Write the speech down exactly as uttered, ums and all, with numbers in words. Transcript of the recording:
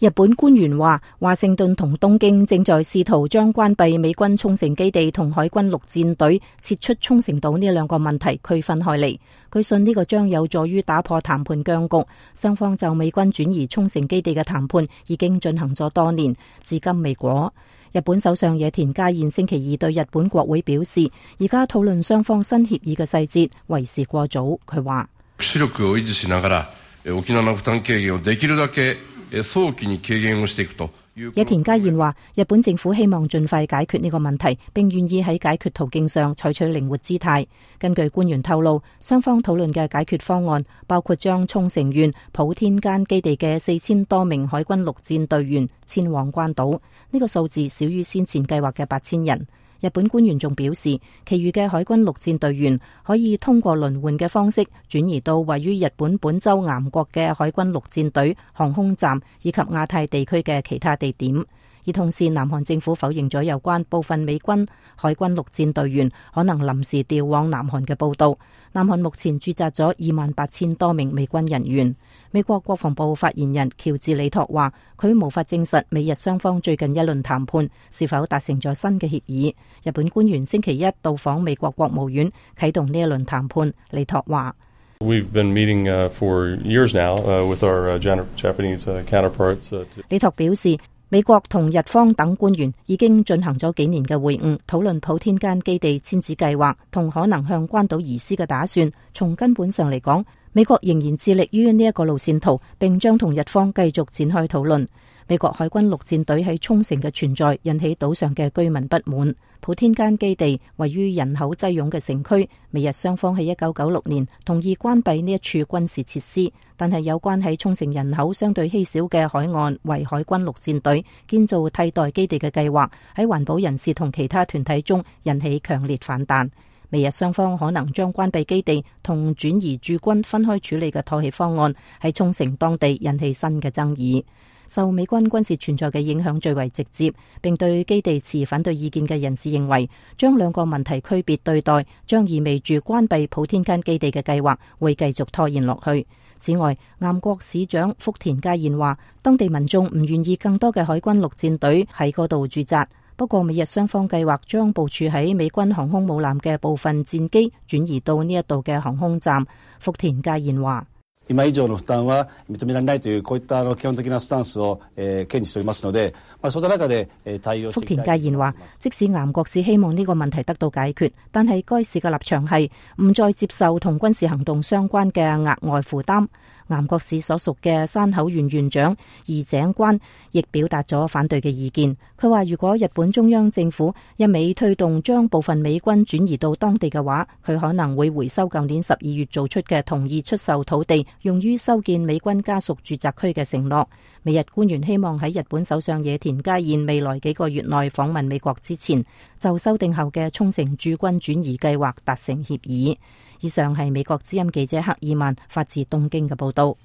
日本官員話，華盛頓同東京正在試圖將關閉美軍沖繩基地同海軍陸戰隊撤出沖繩島呢兩個問題區分開嚟。據信呢個將有助於打破談判僵局。雙方就美軍轉移沖繩基地嘅談判已經進行咗多年，至今未果。日本首相野田佳彥星期二對日本國會表示，而家討論雙方新協議嘅細節為時過早。佢話：抑止力を維持しながら沖縄の負擔軽減をできるだけ早期に軽減をしていくと。野田佳彥話，日本政府希望盡快解決呢個問題，並願意喺解決途徑上採取靈活姿態。根據官員透露，雙方討論嘅解決方案包括將沖繩縣普天間基地嘅四千多名海軍陸戰隊員遷往關島，呢、這個數字少於先前計劃嘅八千人。日本官員仲表示，其餘嘅海軍陸戰隊員可以通過輪換嘅方式轉移到位於日本本州岩國嘅海軍陸戰隊航空站以及亞太地區嘅其他地點。而同時，南韓政府否認咗有關部分美軍海軍陸戰隊員可能臨時調往南韓嘅報道。南韓目前駐紮咗二萬八千多名美軍人員。美國國防部發言人喬治里托話，佢無法證實美日雙方最近一輪談判是否達成咗新嘅協議。日本官員星期一到訪美國國務院啟動呢一輪談判。里托話：We've been meeting for years now with our Japanese counterparts. 里托表示，美國同日方等官員已經進行咗幾年嘅會晤，討論普天間基地遷址計劃同可能向關島移師嘅打算。從根本上嚟講，美國仍然致力於呢一個路線圖，並將同日方繼續展開討論。美國海軍陸戰隊喺沖繩嘅存在引起島上嘅居民不滿。普天間基地位於人口擠擁嘅城區，美日雙方喺一九九六年同意關閉呢一處軍事設施，但係有關喺沖繩人口相對稀少嘅海岸為海軍陸戰隊建造替代基地嘅計劃，喺環保人士同其他團體中引起強烈反彈。美日雙方可能將關閉基地同轉移駐軍分開處理嘅妥協方案喺沖繩當地引起新嘅爭議。受美軍軍事存在嘅影響最為直接，並對基地持反對意見嘅人士認為，將兩個問題區別對待，將意味住關閉普天間基地嘅計劃會繼續拖延落去。此外，岩國市長福田佳彥話，當地民眾唔願意更多嘅海軍陸戰隊喺嗰度駐紮。不過，美日雙方計劃將部署喺美軍航空母艦嘅部分戰機轉移到呢一度嘅航空站。福田佳彥話：今以上の負擔は認められないというこういった基本的なスタンスを堅持しておりますので、そういった中で対応していきたい。福田佳彥話：即使岩國市希望呢個問題得到解決，但係該市嘅立場係唔再接受同軍事行動相關嘅額外負擔。岩國市所屬嘅山口縣縣長二井關亦表達咗反對嘅意見。佢話，如果日本中央政府一味推動將部分美軍轉移到當地嘅話，佢可能會回收舊年十二月做出嘅同意出售土地用於修建美軍家屬住宅區嘅承諾。美日官員希望喺日本首相野田佳彥未來幾個月內訪問美國之前，就修訂後嘅沖繩駐軍轉移計劃達成協議。以上係美國之音記者克爾曼發自東京嘅報道。